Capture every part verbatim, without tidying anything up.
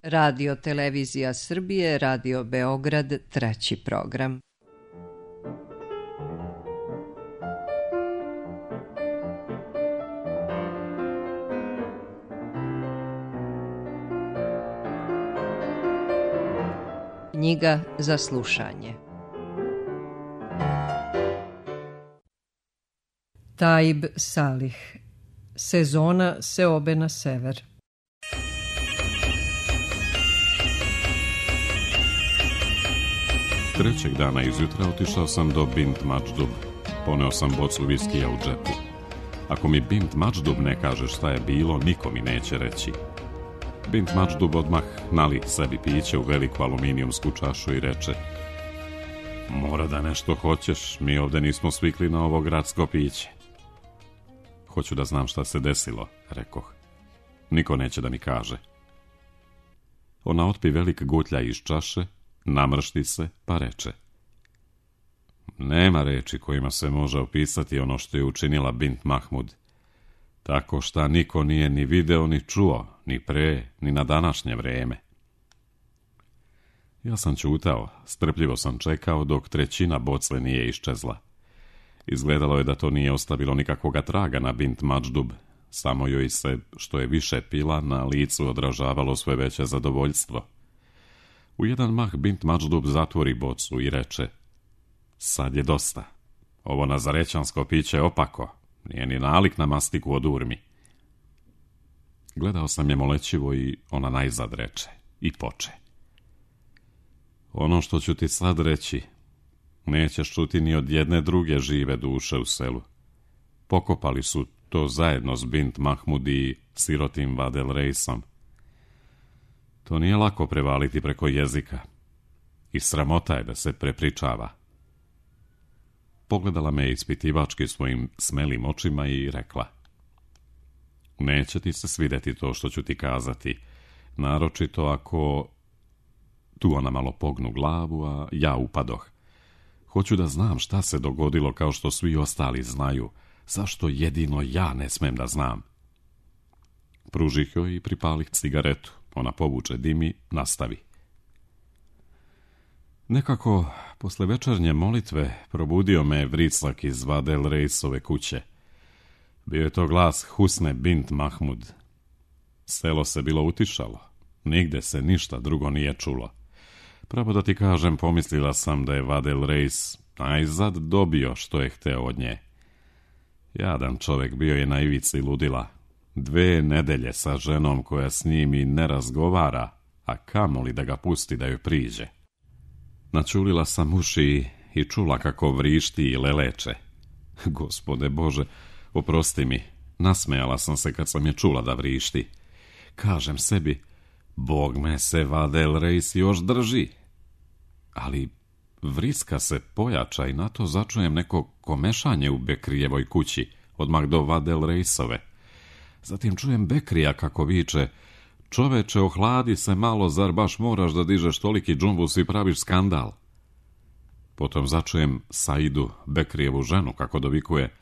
Radio Televizija Srbije, Radio Beograd, treći program. Knjiga za slušanje. Taib Salih. Sezona seobe na sever. Trećeg dana izjutra otišao sam do Bint Majdub. Poneo sam bocu viskija u džepu. Ako mi Bint Majdub ne kaže šta je bilo, niko mi neće reći. Bint Majdub odmah nali sebi piće u veliku aluminijumsku čašu i reče: mora da nešto hoćeš, mi ovde nismo svikli na ovo gradsko piće. Hoću da znam šta se desilo, rekoh. Niko neće da mi kaže. Ona otpi velik gutlja iz čaše, namršti se, pa reče: nema reči kojima se može opisati ono što je učinila Bint Mahmud. Tako šta niko nije ni video, ni čuo, ni pre, ni na današnje vreme. Ja sam ćutao, strpljivo sam čekao dok trećina bocle nije iščezla. Izgledalo je da to nije ostavilo nikakvoga traga na Bint Majdub, samo joj se, što je više pila, na licu odražavalo sve veće zadovoljstvo. U jedan mah Bint Majdub zatvori bocu i reče: sad je dosta. Ovo nazarećansko piće je opako, nije ni nalik na mastiku od urmi. Gledao sam je molećivo i ona najzad reče i poče: ono što ću ti sad reći nećeš čuti ni od jedne druge žive duše u selu. Pokopali su to zajedno s Bint Mahmud i sirotim Vadel Reisom. To nije lako prevaliti preko jezika i sramota je da se prepričava. Pogledala me ispitivački svojim smelim očima i rekla: neće ti se svideti to što ću ti kazati, naročito ako... Tu ona malo pognu glavu, a ja upadoh. Hoću da znam šta se dogodilo kao što svi ostali znaju, zašto jedino ja ne smem da znam. Pružih joj i pripalih cigaretu. Ona povuče dim i nastavi. Nekako, posle večernje molitve, probudio me vriclak iz Vadel Reisove kuće. Bio je to glas Husne Bint Mahmud. Selo se bilo utišalo. Nigde se ništa drugo nije čulo. Pravo da ti kažem, pomislila sam da je Vadel Reis najzad dobio što je hteo od nje. Jadan čovek, bio je na ivici ludila. Dve nedelje sa ženom koja s njim i ne razgovara, a kamoli da ga pusti da joj priđe. Načulila sam uši i čula kako vrišti i leleče. Gospode Bože, oprosti mi, nasmejala sam se kad sam je čula da vrišti. Kažem sebi, Bog me se Vadel Reis još drži. Ali vriska se pojača i na to začujem neko komešanje u Bekrijevoj kući, odmah do Vadel Reisove. Zatim čujem Bekrija kako viče: čoveče, ohladi se malo, zar baš moraš da dižeš toliki džumbus i praviš skandal? Potom začujem Saidu, Bekrijevu ženu, kako dovikuje: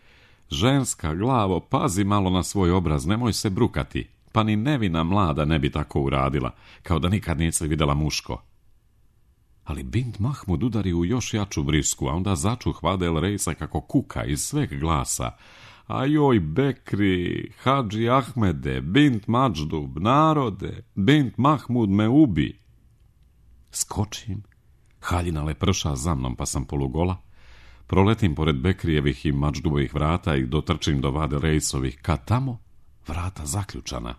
ženska glavo, pazi malo na svoj obraz, nemoj se brukati. Pa ni nevina mlada ne bi tako uradila, kao da nikad nisi videla muško. Ali Bint Mahmud udari u još jaču vrisku, a onda začuh Vadel Reisa kako kuka iz sveg glasa: a joj Bekri, Hadži Ahmede, Bint Majdub, narode, Bint Mahmud me ubi. Skočim, haljina leprša za mnom, pa sam polugola. Proletim pored Bekrijevih i Majdubovih vrata i dotrčim do Vadel Reisovih, kad tamo vrata zaključana.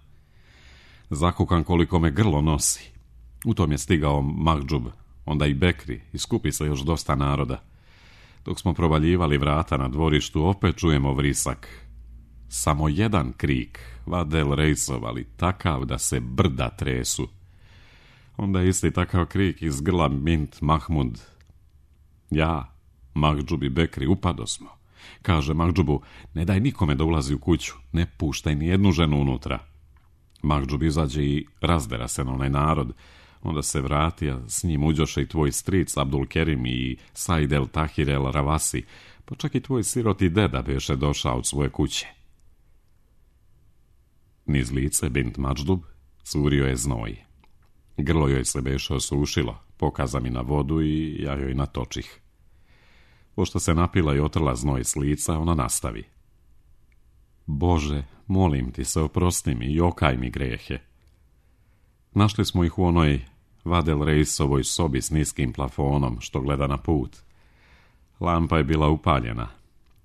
Zakukam koliko me grlo nosi. U tom je stigao Mahdžub, onda i Bekri, i skupi se još dosta naroda. Dok smo provaljivali vrata na dvorištu, opet čujemo vrisak. Samo jedan krik, Vadel Reisov, ali takav da se brda tresu. Onda isti takav krik iz grla Bint Mahmud. Ja, Mahdžub i Bekri upado smo. Kaže Mahdžubu: ne daj nikome da ulazi u kuću, ne puštaj ni jednu ženu unutra. Mahdžub izađe i razdera se na onaj narod. Onda se vrati, a s njim uđoše i tvoj stric Abdul Kerim i Said el Tahir el Ravasi, pa čak i tvoj siroti deda beše došao od svoje kuće. Niz lice Bint Majdub curio je znoj. Grlo joj se beše osušilo, pokaza mi na vodu i ja joj natočih. Pošto se napila i otrla znoj s lica, ona nastavi. Bože, molim ti se, oprosti mi i okaj mi grehe. Našli smo ih u onoj Vadel Reisovoj sobi s niskim plafonom što gleda na put. Lampa je bila upaljena.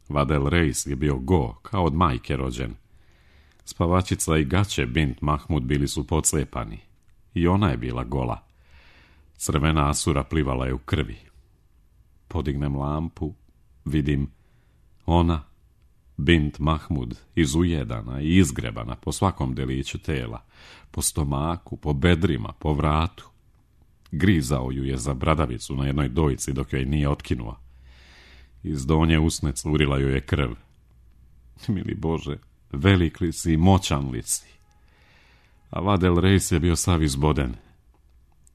Vadel Reis je bio go, kao od majke rođen. Spavačica i gaće bint Mahmud bili su podslepani. I ona je bila gola. Crvena asura plivala je u krvi. Podignem lampu, vidim ona, bint Mahmud, izujedana i izgrebana po svakom deliću tela, po stomaku, po bedrima, po vratu. Grizao ju je za bradavicu na jednoj dojci dok joj nije otkinuo. Iz donje usne curila joj je krv. Mili Bože, velik li si i moćan li si. A Vadel Reis je bio sav izboden.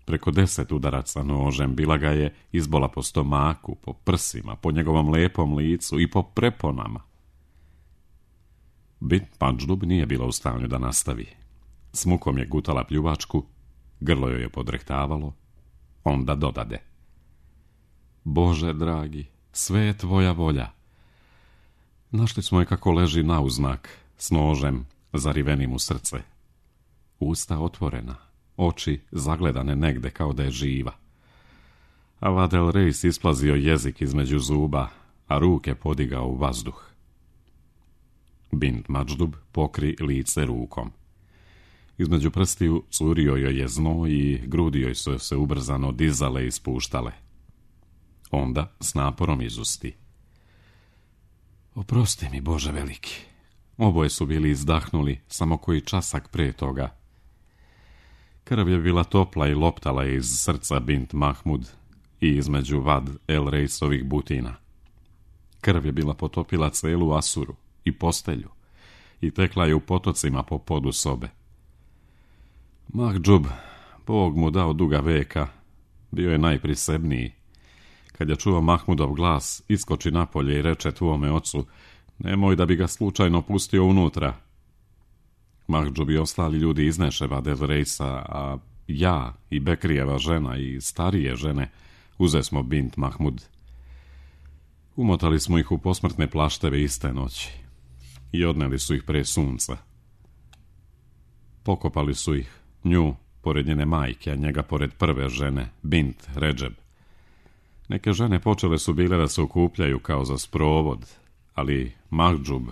Preko deset udaraca nožem bila ga je izbola po stomaku, po prsima, po njegovom lepom licu i po preponama. Bint Majdub nije bila u stanju da nastavi. S mukom je gutala pljuvačku, grlo joj je podrehtavalo, onda dodade. Bože dragi, sve je tvoja volja. Našli smo je kako leži nauznak, s nožem zarivenim u srce. Usta otvorena, oči zagledane negde kao da je živa. A Vadel Reis isplazio jezik između zuba, a ruke podigao u vazduh. Bint Majdub pokri lice rukom. Između prstiju curio joj je znoj i grudi joj su se ubrzano dizale i spuštale. Onda s naporom izusti. Oprosti mi, Bože veliki. Oboje su bili izdahnuli samo koji časak pre toga. Krv je bila topla i loptala je iz srca bint Mahmud i između Vad el Reisovih butina. Krv je bila potopila celu asuru i postelju i tekla je u potocima po podu sobe. Mahdžub, Bog mu dao duga veka, bio je najprisebniji. Kad je čuo Mahmudov glas, iskoči napolje i reče tvome ocu, nemoj da bi ga slučajno pustio unutra. Mahdžub i ostali ljudi izneše Vadel Reisa, a ja i Bekrijeva žena i starije žene uze smo bint Mahmud. Umotali smo ih u posmrtne plašteve iste noći i odneli su ih pre sunca. Pokopali su ih, nju pored njene majke, a njega pored prve žene, bint Redžeb. Neke žene počele su bile da se okupljaju kao za sprovod, ali Mahdžub,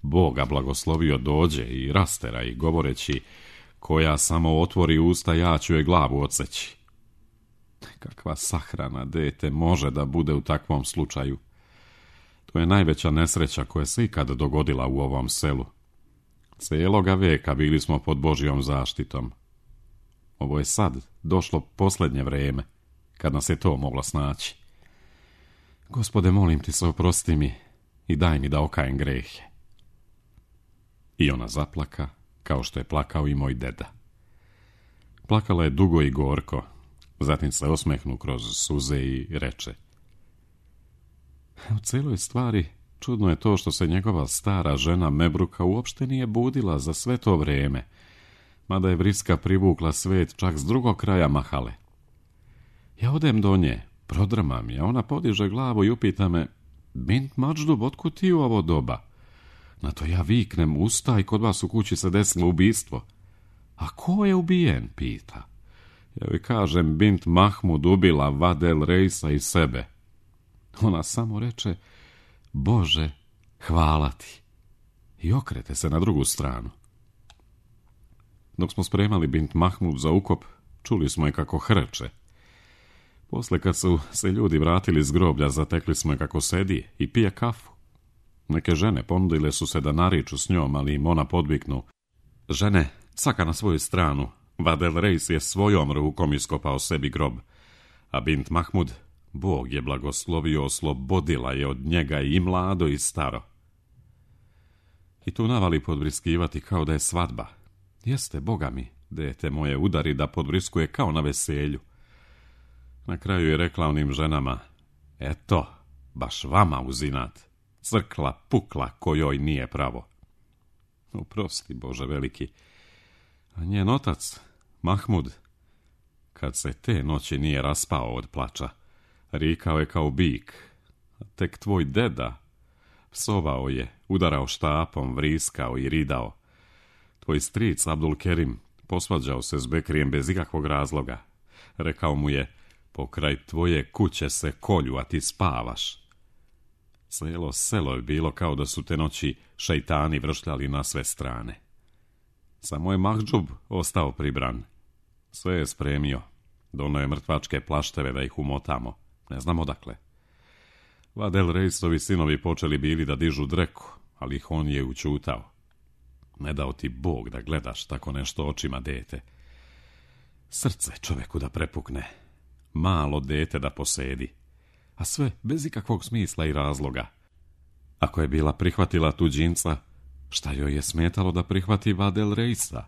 Boga blagoslovio, dođe i rastera i govoreći, koja samo otvori usta, ja ću joj glavu odseći. Kakva sahrana, dete, može da bude u takvom slučaju. To je najveća nesreća koja se ikad dogodila u ovom selu. Cijeloga veka bili smo pod Božjom zaštitom. Ovo je sad došlo posljednje vreme, kad nas je to moglo snaći. Gospode, molim ti se, oprosti mi i daj mi da okajem grehe. I ona zaplaka, kao što je plakao i moj deda. Plakala je dugo i gorko, zatim se osmehnu kroz suze i reče. U celoj stvari čudno je to što se njegova stara žena Mebruka uopšte nije budila za sve to vreme, mada je vriska privukla svet čak s drugog kraja Mahale. Ja odem do nje, prodrmam je, ona podiže glavu i upita me, bint Majdub, otkud ti u ovo doba? Na to ja viknem, ustaj, kod vas u kući se desilo ubistvo. A ko je ubijen, pita. Ja joj kažem, bint Mahmud ubila Vadel Reisa i sebe. Ona samo reče, Bože, hvala ti. I okrete se na drugu stranu. Dok smo spremali bint Mahmud za ukop, čuli smo je kako hrče. Posle kad su se ljudi vratili s groblja, zatekli smo je kako sedi i pije kafu. Neke žene ponudile su se da nariču s njom, ali im ona podviknu. Žene, svaka na svoju stranu. Vadel Reis je svojom rukom iskopao sebi grob, a bint Mahmud, Bog je blagoslovio, oslobodila je od njega i mlado i staro. I tu navali podvriskivati kao da je svadba. Jeste, Boga mi, dete moje, udari da podvriskuje kao na veselju. Na kraju je rekla onim ženama, eto, baš vama uzinat, crkla pukla kojoj nije pravo. Oprosti, Bože veliki. A njen otac, Mahmud, kad se te noći nije raspao od plača. Rikao je kao bik. Tek tvoj deda psovao je, udarao štapom, vriskao i ridao. Tvoj stric Abdul Kerim posvađao se s Bekrijem bez ikakvog razloga. Rekao mu je, pokraj tvoje kuće se kolju, a ti spavaš. Cijelo selo je bilo kao da su te noći šejtani vršljali na sve strane. Samo je Mahdžub ostao pribran. Sve je spremio. Donio je mrtvačke plašteve da ih umotamo. Ne znam odakle. Vadel Rejsovi sinovi počeli bili da dižu dreku, ali ih on je učutao. Ne dao ti Bog da gledaš tako nešto očima dete. Srce čoveku da prepukne. Malo dete da posedi. A sve bez ikakvog smisla i razloga. Ako je bila prihvatila tuđinca, šta joj je smetalo da prihvati Vadel Rejsa?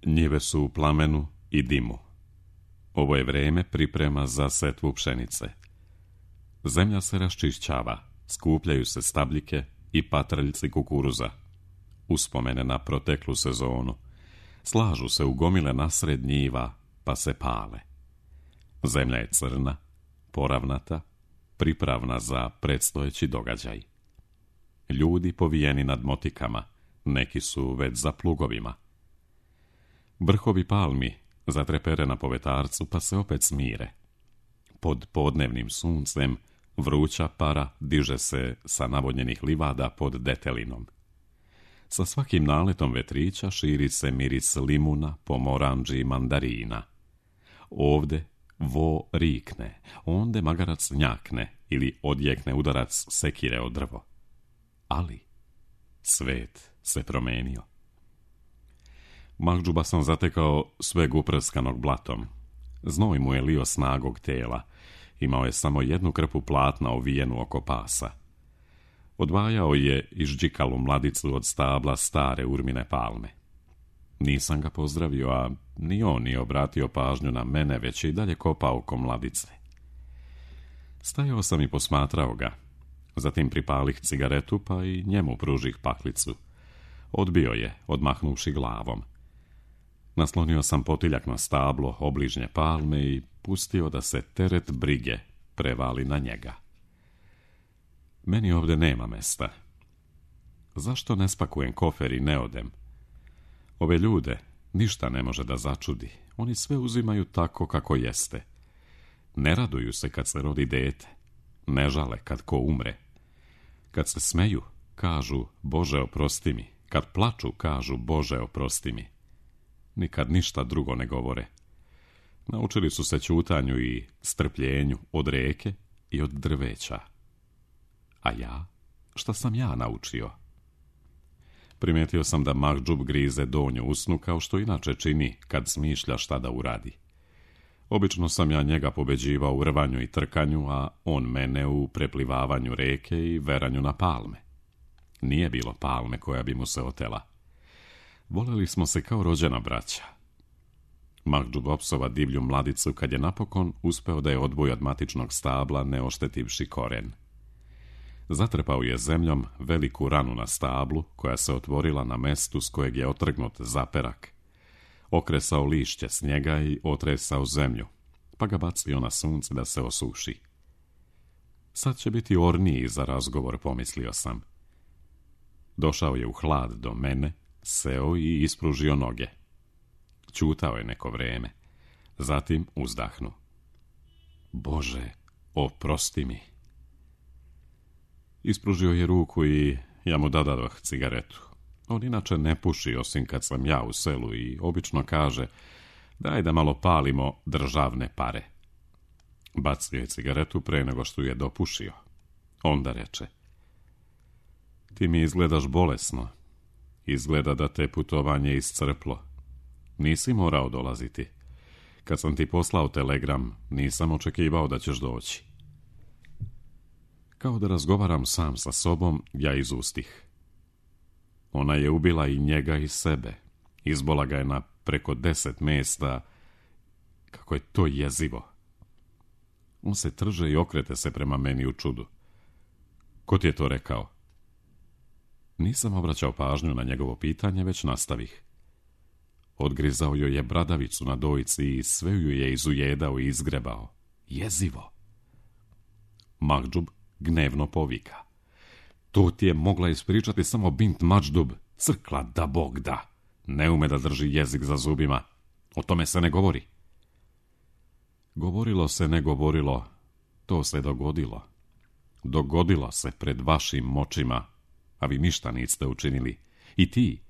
Njive su u plamenu i dimu. Ovo je vrijeme priprema za setvu pšenice. Zemlja se raščišćava, skupljaju se stabljike i patraljci kukuruza. Uspomene na proteklu sezonu. Slažu se u gomile nasred njiva, pa se pale. Zemlja je crna, poravnata, pripravna za predstojeći događaj. Ljudi povijeni nad motikama, neki su već za plugovima. Vrhovi palmi zatrepere na povetarcu, pa se opet smire. Pod podnevnim suncem vruća para diže se sa navodnjenih livada pod detelinom. Sa svakim naletom vetrića širi se miris limuna, pomoranđi i mandarina. Ovde vo rikne, onde magarac njakne ili odjekne udarac sekire o drvo. Ali svet se promenio. Mahdžuba sam zatekao sveg uprskanog blatom. Znoj mu je lio snagog tela. Imao je samo jednu krpu platna ovijenu oko pasa. Odvajao je išđikalu mladicu od stabla stare urmine palme. Nisam ga pozdravio, a ni on nije obratio pažnju na mene, već i dalje kopao oko mladice. Stajao sam i posmatrao ga. Zatim pripalih cigaretu, pa i njemu pružih paklicu. Odbio je, odmahnuvši glavom. Naslonio sam potiljak na stablo obližnje palme i pustio da se teret brige prevali na njega. Meni ovdje nema mesta. Zašto ne spakujem kofer i ne odem? Ove ljude ništa ne može da začudi. Oni sve uzimaju tako kako jeste. Ne raduju se kad se rodi dete. Ne žale kad ko umre. Kad se smeju, kažu Bože oprosti mi. Kad plaču, kažu Bože oprosti mi. Nikad ništa drugo ne govore. Naučili su se ćutanju i strpljenju od reke i od drveća. A ja? Šta sam ja naučio? Primijetio sam da Mahdžub grize donju usnu kao što inače čini kad smišlja šta da uradi. Obično sam ja njega pobeđivao u rvanju i trkanju, a on mene u preplivavanju reke i veranju na palme. Nije bilo palme koja bi mu se otela. Voleli smo se kao rođena braća. Mahdžub opsova divlju mladicu kad je napokon uspeo da je odvoji od matičnog stabla ne oštetivši koren. Zatrpao je zemljom veliku ranu na stablu koja se otvorila na mestu s kojeg je otrgnut zaperak. Okresao lišće s njega i otresao zemlju, pa ga bacio na sunce da se osuši. Sad će biti orniji za razgovor, pomislio sam. Došao je u hlad do mene, seo i ispružio noge. Ćutao je neko vrijeme, zatim uzdahnu. Bože, oprosti mi. Ispružio je ruku i ja mu dadadoh cigaretu. On inače ne puši osim kad sam ja u selu i obično kaže daj da malo palimo državne pare. Bacio je cigaretu pre nego što je dopušio. Onda reče: ti mi izgledaš bolesno. Izgleda da te putovanje iscrplo. Nisi morao dolaziti. Kad sam ti poslao telegram, nisam očekivao da ćeš doći. Kao da razgovaram sam sa sobom, ja izustih. Ona je ubila i njega i sebe. Izbola ga je na preko deset mjesta. Kako je to jezivo. On se trže i okrete se prema meni u čudu. Ko ti je to rekao? Nisam obraćao pažnju na njegovo pitanje, već nastavih. Odgrizao joj je bradavicu na dojci i sve ju je izujedao i izgrebao. Jezivo. Mahdžub gnevno povika. To ti je mogla ispričati samo bint Mađdub, crkla da Bog da. Ne ume da drži jezik za zubima. O tome se ne govori. Govorilo se, ne govorilo, to se dogodilo. Dogodilo se pred vašim očima, a vi ništa niste učinili. I ti,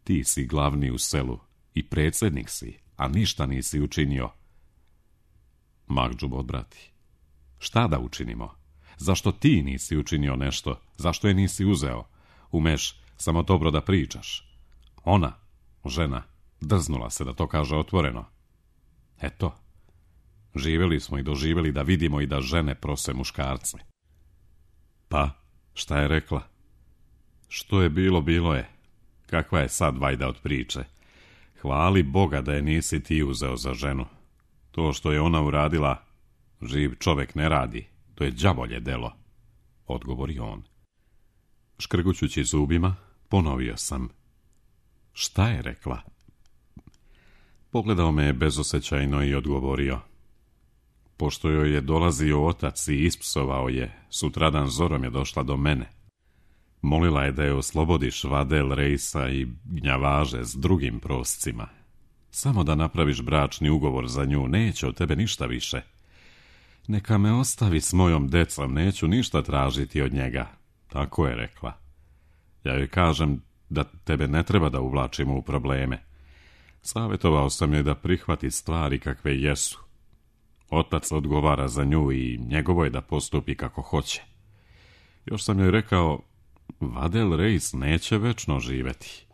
ti si glavni u selu i predsjednik si, a ništa nisi učinio. Mahdžub odbrati. Šta da učinimo? Zašto ti nisi učinio nešto? Zašto je nisi uzeo? Umeš samo dobro da pričaš. Ona, žena, drznula se da to kaže otvoreno. Eto, živjeli smo i doživjeli da vidimo i da žene prose muškarce. Pa, šta je rekla? Što je bilo, bilo je. Kakva je sad vajda od priče? Hvali Boga da je nisi ti uzeo za ženu. To što je ona uradila, živ čovjek ne radi. To je đavolje delo, odgovori on. Škrgućući zubima, ponovio sam. Šta je rekla? Pogledao me je bezosjećajno i odgovorio. Pošto joj je dolazio otac i ispsovao je, sutradan zorom je došla do mene. Molila je da je oslobodiš Vadel Rejsa i gnjavaže s drugim proscima. Samo da napraviš bračni ugovor za nju, neće od tebe ništa više. Neka me ostavi s mojom decom, neću ništa tražiti od njega. Tako je rekla. Ja joj kažem da tebe ne treba da uvlačimo u probleme. Savjetovao sam joj da prihvati stvari kakve jesu. Otac odgovara za nju i njegovo je da postupi kako hoće. Još sam joj rekao, Vadel Rejs neće večno živeti.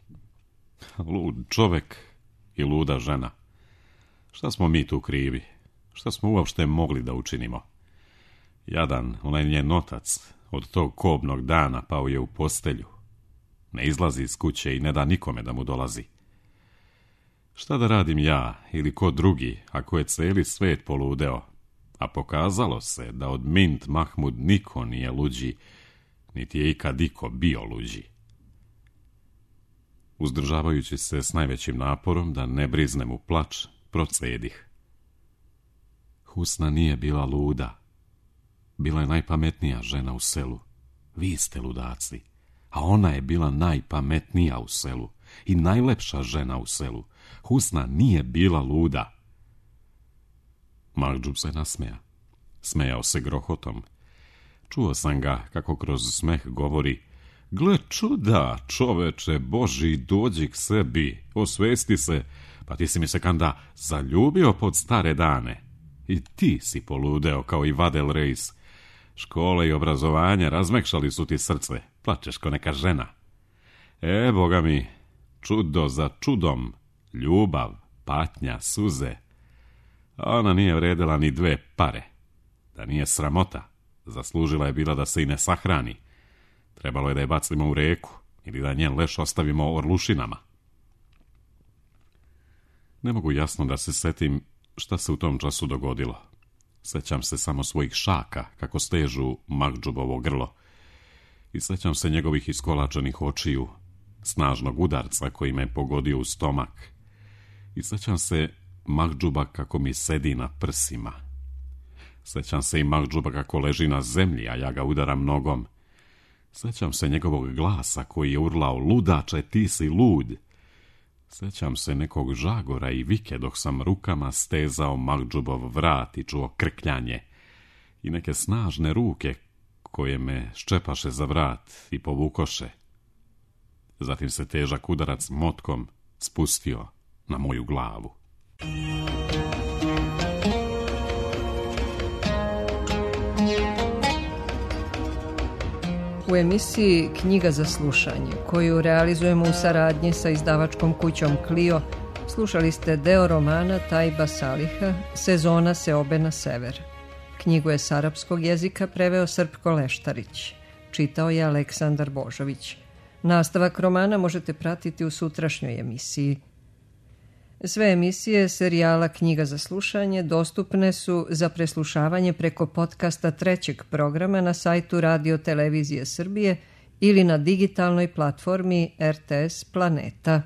Lud čovek i luda žena. Šta smo mi tu krivi? Šta smo uopšte mogli da učinimo? Jadan, onaj njen otac, od tog kobnog dana pao je u postelju. Ne izlazi iz kuće i ne da nikome da mu dolazi. Šta da radim ja ili ko drugi, ako je celi svet poludeo, a pokazalo se da od Mint Mahmud niko nije luđi, niti je ikad iko bio luđi. Uzdržavajući se s najvećim naporom da ne briznem u plač, procedih. Husna nije bila luda. Bila je najpametnija žena u selu. Vi ste ludaci. A ona je bila najpametnija u selu i najlepša žena u selu. Husna nije bila luda. Mahdžub se nasmeja. Smejao se grohotom. Čuo sam ga kako kroz smeh govori: Gle čuda, čoveče Boži, dođi k sebi, osvesti se, pa ti si mi se kanda zaljubio pod stare dane. I ti si poludeo kao i Vadel Rejs. Škole i obrazovanje razmekšali su ti srce, plačeš ko neka žena. E, boga mi, čudo za čudom, ljubav, patnja, suze. Ona nije vredela ni dve pare. Da nije sramota, zaslužila je bila da se i ne sahrani. Trebalo je da je bacimo u reku ili da njen leš ostavimo orlušinama. Ne mogu jasno da se setim šta se u tom času dogodilo. Sećam se samo svojih šaka, kako stežu Mahdžubovo grlo. I sećam se njegovih iskolačenih očiju, snažnog udarca koji me pogodio u stomak. I sećam se Mahdžuba kako mi sedi na prsima. Sećam se i Mahdžuba kako leži na zemlji, a ja ga udaram nogom. Sećam se njegovog glasa koji je urlao: Ludače, ti si lud. Sećam se nekog žagora i vike dok sam rukama stezao Mahdžubov vrat i čuo krkljanje. I neke snažne ruke koje me ščepaše za vrat i povukoše. Zatim se težak udarac motkom spustio na moju glavu. U emisiji Knjiga za slušanje, koju realizujemo u saradnji sa izdavačkom kućom Clio, slušali ste deo romana Tajba Saliha Sezona seobe na sever. Knjigu je s arapskog jezika preveo Srpko Leštarić. Čitao je Aleksandar Božović. Nastavak romana možete pratiti u sutrašnjoj emisiji. Sve emisije serijala Knjiga za slušanje dostupne su za preslušavanje preko podcasta trećeg programa na sajtu Radio Televizije Srbije ili na digitalnoj platformi R T S Planeta.